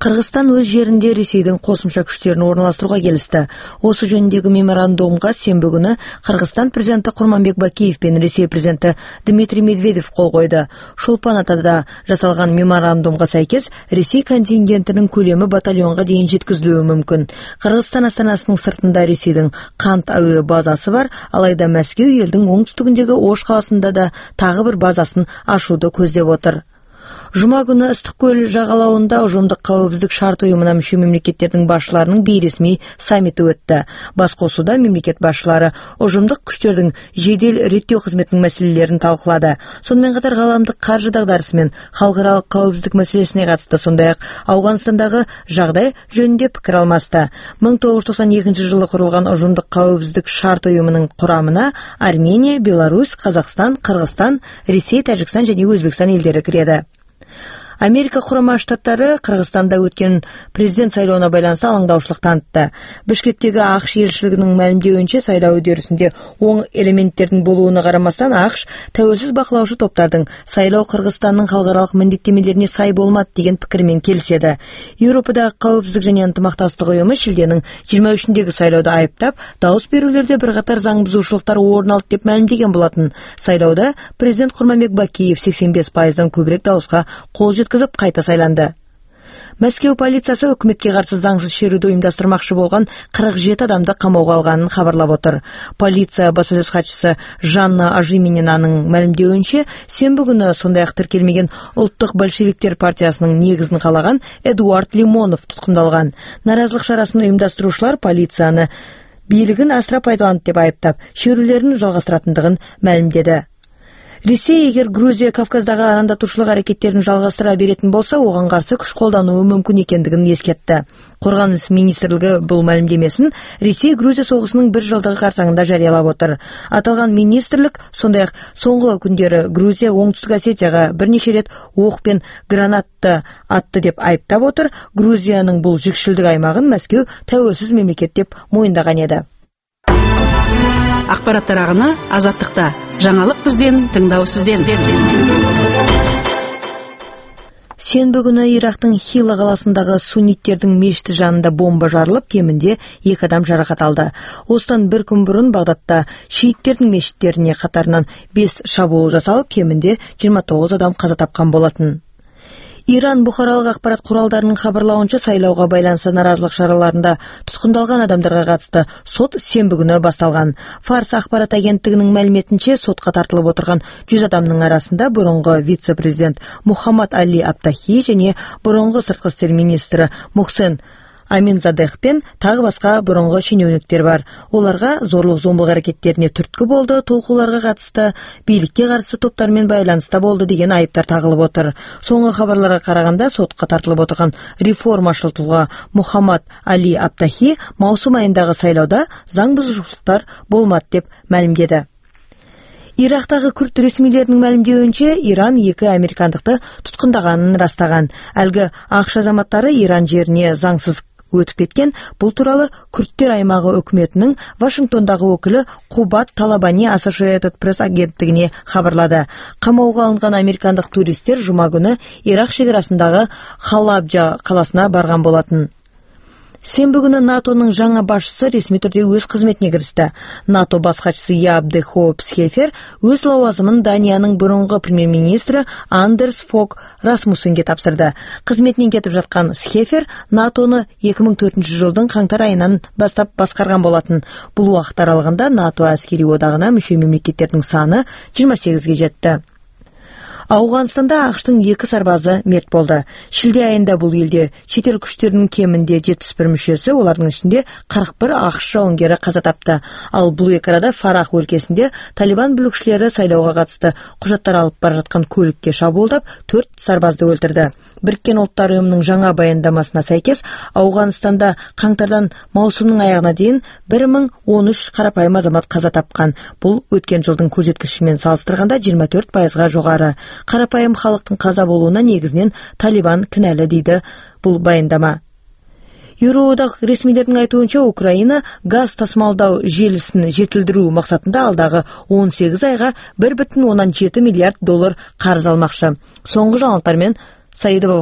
Кыргызстан өз жеринде Ресейдин кошумча күчтөрүн орналаштырууга келишти. Осы жөнүндөгү меморандумга сенбі күнү Кыргызстан президенти Курманбек Бакиев пен Ресей президенти Дмитрий Медведев кол койду. Шолпан Атада жасалган меморандумга сайкес Ресей контингентинин көлөмү батальонго дейин жеткизилүүгү мүмкүн. Кыргызстан астанасынын сыртында Ресейдин Кант аөө базасы бар, алайда Мәскеу элдин оңтүстүгүндөгү Ош каласында да тагы бир базасын ачууду көздөп отур. Жума күнү Ыстык көл жагалауында Ужумдук коопсуздук шарт уюмуна мүчө мамлекеттердин башчыларынын бейресмий саммити өттү. Баскосууда мемлекет башчылары Ужумдук күчтөрдүн жедел реттөө кызметинин маселелерин талкуулады. Сонун катар кааламдык каржы дагдарысы менен халкыралык коопсуздук маселесине катышты, сондай-ак Афганстандагы жагдай жөнүндө пикир алмашты. 1992 жылы курулган Ужумдук коопсуздук шарт уюмунун курамына Армения, Беларусь, Казакстан, Кыргызстан, Ресей, Тажикстан жана Өзбекстан элдери кирет. Америка Курама Штаттары Кыргызстанда өткөн президент шайлооуна байланыштуу алаңдаушылык танытты. Бишкектеги АКШ элчилигинин маалимдөөчө шайлоо үдөрүсүндө оң элементтердин болууна карамастан АКШ тәуелсиз бакылауучу топтардын шайлоо Кыргызстандын халкыралык милдеттемелерине сай болмат деген пикир менен келишет. Европадагы коопсуздук жана ынтымакташтык уюму шилденин 23-деги шайлоодо айыптап, дауыс берүүлөрдө бир катар заң бузуушулуктар орун алды деп маалимдеген болотун. Шайлоодо президент Курманбек Бакиев 85%дан көбүрөөк дауыска кол жеткизип кайта сайланды. Мәскеу полициясы өкмөткө каршы заңсыз шерүүдө уюмдаштырмакчы болгон 47 адамды камоого алганын кабарлап отур. Полиция баспасөз катчысы Жанна Ажимининанын маалимдөөчө, сенбі күнү сондай-ак тиркелмеген Улуттук большевиктер партиясынын негизин калаган Эдуард Лимонов туткундалган. Наразылык шарасын уюмдаштыруучулар полицияны бийлигин асыра пайдаланды деп айыптап, шерүүлөрүн жалгастыратындыгын маалимдеди. Ресей эгер Грузия Кавказдагы арандатуучулук аракеттерин жалгастыра беретін болса, оған каршы күч колдонуу мүмкүн экендигин эскертти. Коргонуш министрлиги бул маалимдемесин Ресей Грузия согушунун 1 жылдыгы карсаңында жарыялап отур. Аталган министрлик сондай-ак соңку күндөрү Грузия Оңтүстүк Осетияга бир нече рет ок пен гранатты атты деп айыптап отур. Грузиянын бул жикшилдик аймагын Мәскеу тәуелсиз мемлекет деп моюндаган эди. Акпараттар агыны Азаттыкта. Жаңалык бизден, тыңдоо сизден. Сенбі күнү Ирактын Хила каласындагы сунниттердин мешити жанында бомба жарылып, кеминде 2 адам жаракат алды. Осыдан bir күн бурун Багдадта шииттердин мешиттерине катарынан 5 шабуул жасалып, кеминде 29 адам каза тапкан болотун. Иран бухаралык акпарат куралдарынын кабарлауынча, шайлоого байланыштуу наразылык чараларында туткундалган адамдарга катысты сот сенбі күнү башталган. Фарс акпарат агенттигинин маалиметинче, сотко тартылып отурган 100 адамдын арасында мурунку вице-президент Мухаммад Али Аптахи жана мурунку сырткы иштер министри Мухсен Аминзадех пен тагы башка мурунку шенеунүктөр бар. Оларга зорлук зомбулук аракеттерине түрткү болду, толкууларга катышты, бийликке каршы топтор менен байланыста болду деген айыптар тагылып отур. Соңку кабарларга караганда, сотко тартылып отурган реформачыл тулга Мухаммад Али Аптахи маусум айындагы шайлоодо заң бузушулуктар болмат деп маалимдеди. Ирактагы күрд ресмилеринин маалимдөөчө, Иран 2 американдыкты туткундаганын растаган. Алгы АКШ азаматтары Иран жерине заңсыз өтүп кеткен. Бул тууралуу Күрдтөр аймагы өкмөтүнүн Вашингтондагы өкүлү Кубат Талабани Associated Press агенттигине кабарлады. Камоого алынган американдык туристтер жума күнү Ирак чекарасындагы Халабжа каласына барган болотун. Сенбі күнү НАТОнун жаңа башчысы ресми түрдө өз кызметине киришти. НАТО баш катчысы Яап де Хоop Scheffer өз лауазымын Даниянын мурунку премьер-министри Андерс Фог Расмуссенге тапшырды. Кызметинен кетип жаткан Scheffer НАТОну 2004 жылдын каңтар айынан баштап башкарган болотун. Бул убакыт аралыгында НАТО аскери одагына мүчө мемлекеттердин саны 28ге жетти. Афганстанда АКШтын 2 сарбазы мерт болду. Шилде айында бул элде чет эл күчтөрүнүн кеминде 71 мүчөсү, олардын ичинде 41 АКШ жауынгери каза тапты. Ал бул эки арада Фарах өлкесинде Талибан бүлүкчүлөрү шайлоого катышты кужаттар алып бара жаткан көлүккө шабуулдап 4 сарбазды өлтүрдү. Бириккен Улуттар уюмунун жаңа баяндамасына сайкес, Афганстанда каңтардан маусумдун аягына дейин 1013 карапайым азамат каза тапкан. Бул өткөн жылдын көрсөткүчү менен салыштырганда 24%га жогору. Карапайым халыктын каза болууна негизинен Талибан кінәлі дейді бул баяндама. Евроодак ресмилердин айтуунча, Украина газ тасымалдоо желисин жетилдирүү максатында алдагы 18 айга $1,7 миллиард карыз алмакчы. Соңку жаңылыктар менен Саидова